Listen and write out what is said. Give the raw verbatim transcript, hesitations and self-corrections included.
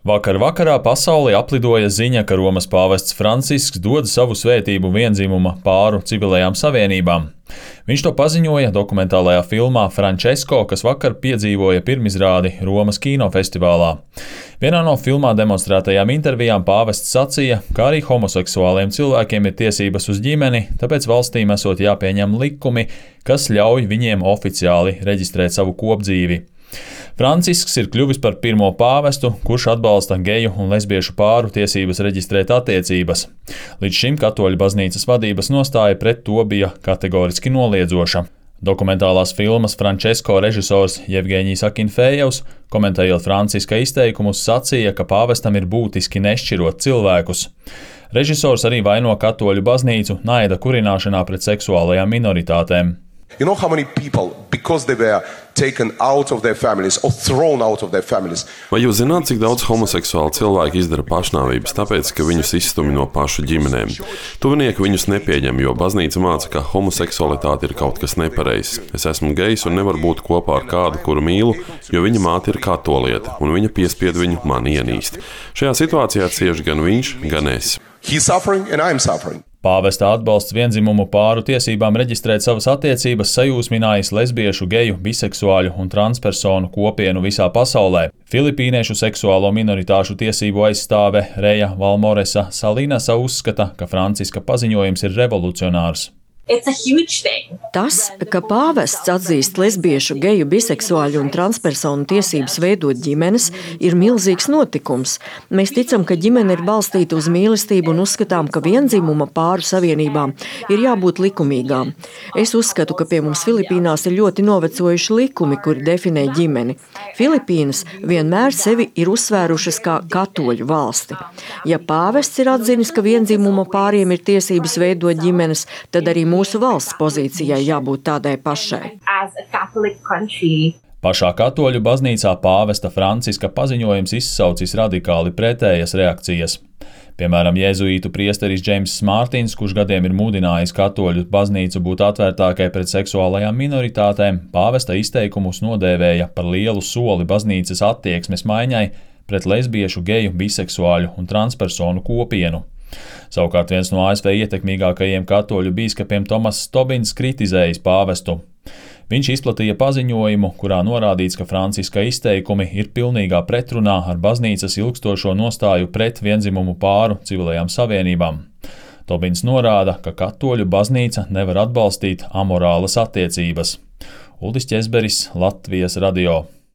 Vakar vakarā pasauli aplidoja ziņa, ka Romas pāvests Francisks dod savu svētību vienzimuma pāru civilajām savienībām. Viņš to paziņoja dokumentālajā filmā Francesco, kas vakar piedzīvoja pirmizrādi Romas kinofestivālā. Vienā no filmā demonstrētajām intervijām pāvests sacīja, ka arī homoseksuāliem cilvēkiem ir tiesības uz ģimeni, tāpēc valstīm esot jāpieņem likumi, kas ļauj viņiem oficiāli reģistrēt savu kopdzīvi. Francisks ir kļuvis par pirmo pāvestu, kurš atbalsta geju un lesbiešu pāru tiesības reģistrēt attiecības. Līdz šim katoļu baznīcas vadības nostāja pret to bija kategoriski noliedzoša. Dokumentālās filmas Francesco režisors Jevgeņijs Akinfejevs, komentējot Franciska izteikumus, sacīja, ka pāvestam ir būtiski nešķirot cilvēkus. Režisors arī vaino katoļu baznīcu naida kurināšanā pret seksuālajām minoritātēm. You know how many people, because they were taken out of their families or thrown out of their families. Vai jūs zināt, cik daudz homoseksuālu cilvēku izdara pašnāvības, tāpēc, ka viņus izstumj no pašu ģimenēm? Tuvinieki viņus nepieņem, jo baznīca māca, ka homoseksualitāte ir kaut kas nepareizs. Es esmu gejs un nevaru būt kopā ar kādu, kuru mīlu, jo viņa māte ir katoliete, un viņa piespied viņu mani ienīst. Šajā situācijā cieš gan viņš, gan es. He's suffering and I'm suffering. Pāvesta atbalsts viendzimumu pāru tiesībām reģistrēt savas attiecības sajūsminājis lesbiešu, geju, biseksuāļu un transpersonu kopienu visā pasaulē. Filipīniešu seksuālo minoritāšu tiesību aizstāve Reja Valmoresa Salinasa uzskata, ka Franciska paziņojums ir revolucionārs. Tas, ka pāvests atzīst lesbiešu, geju, biseksuāļu un transpersonu tiesības veidot ģimenes, ir milzīgs notikums. Mēs ticam, ka ģimene ir balstīta uz mīlestību un uzskatām, ka vienzimuma pāru savienībām ir jābūt likumīgām. Es uzskatu, ka pie mums Filipīnās ir ļoti novecojuši likumi, kuri definē ģimeni. Filipīnas vienmēr sevi ir uzsvērušas kā katoļu valsti. Ja pāvests ir atzinis, ka vienzimuma pāriem ir tiesības veidot ģimenes, tad arī mūsu valsts pozīcijai jābūt tādai pašai. Pašā katoļu baznīcā pāvesta Franciska paziņojums izsaucis radikāli pretējas reakcijas. Piemēram, jēzuītu priesteris Džeimss Mārtins, kurš gadiem ir mudinājis katoļu baznīcu būt atvērtākai pret seksuālajām minoritātēm, pāvesta izteikumus nodēvēja par lielu soli baznīcas attieksmes maiņai pret lesbiešu, geju, biseksuāļu un transpersonu kopienu. Savukārt viens no A S V ietekmīgākajiem katoļu bīskapiem Tomass Tobins kritizējis pāvestu. Viņš izplatīja paziņojumu, kurā norādīts, ka Franciska izteikumi ir pilnīgā pretrunā ar baznīcas ilgstošo nostāju pret viendzimumu pāru civilajām savienībām. Tobins norāda, ka katoļu baznīca nevar atbalstīt amorālas attiecības. Uldis Ķezberis, Latvijas radio.